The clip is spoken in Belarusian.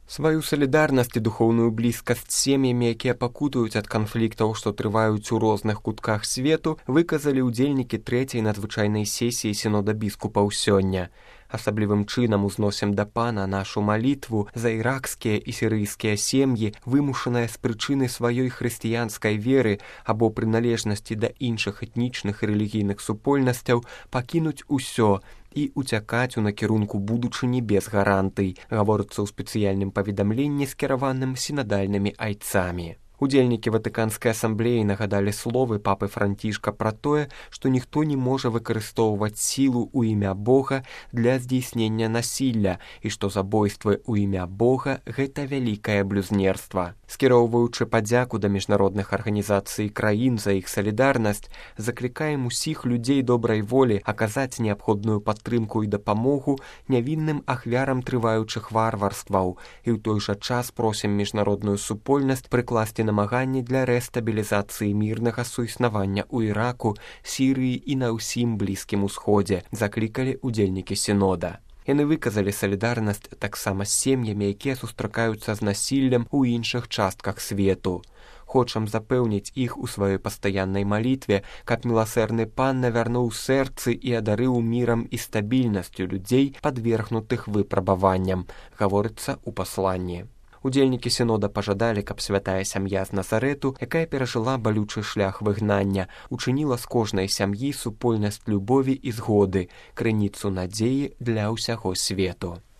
Сваю салідарнасць і духоўную блізкасць з сем'ямі, якія пакутаюць ад канфліктаў, што трываюць у розных кутках свету, выказалі ўдзельнікі трэцяй надзвычайнай сесіі сінода біскупаў сёння. Асаблівым чынам узносім да Пана нашу малітву за іракскія і сірыйскія сем'і, вымушаныя з прычыны сваёй хрысціянскай веры або прыналежнасці да іншых этнічных і рэлігійных супольнасцяў пакінуць усё і уцякаць у накірунку будучыні без гарантый, гаворыцца ў спецыяльным паведамленні, скіраваным сінадальнымі айцамі. Удзельнікі Ватыканскай асамблеі нагадалі словы папы Францішка пра тое, што ніхто не можа выкарыстоўваць сілу ў імя Бога для здзейснення насілля і што забойствы ў імя Бога – гэта вялікае блюзнерства. Скіроўваючы падзяку да міжнародных арганізацый і краін за іх салідарнасць, заклікаем усіх людзей добрай волі аказаць неабходную падтрымку і дапамогу нявінным ахвярам трываючых варварстваў і ў той жа час просім міжнародную супольнасць прыкласці намаганні для рэстабілізацыі мірнага суіснавання ў Іраку, Сірыі і на ўсім Блізкім Усходзе, заклікалі удзельнікі сінода. Яны выказалі салідарнасць таксама з сем'ямі, якія сустракаюцца з насіллем у іншых частках свету. Хочам запэўніць іх у сваёй пастаяннай малітве, каб міласэрны Пан навярнуў сэрцы і адарыў мірам і стабільнасцю людзей, падвергнутых выпрабаванням, гаворыцца ў пасланні. Удзельнікі сінода пажадалі, каб святая сям'я з Назарэту, якая перажыла балючы шлях выгнання, учыніла з кожнай сям'і супольнасць любові і згоды, крыніцу надзеі для ўсяго свету.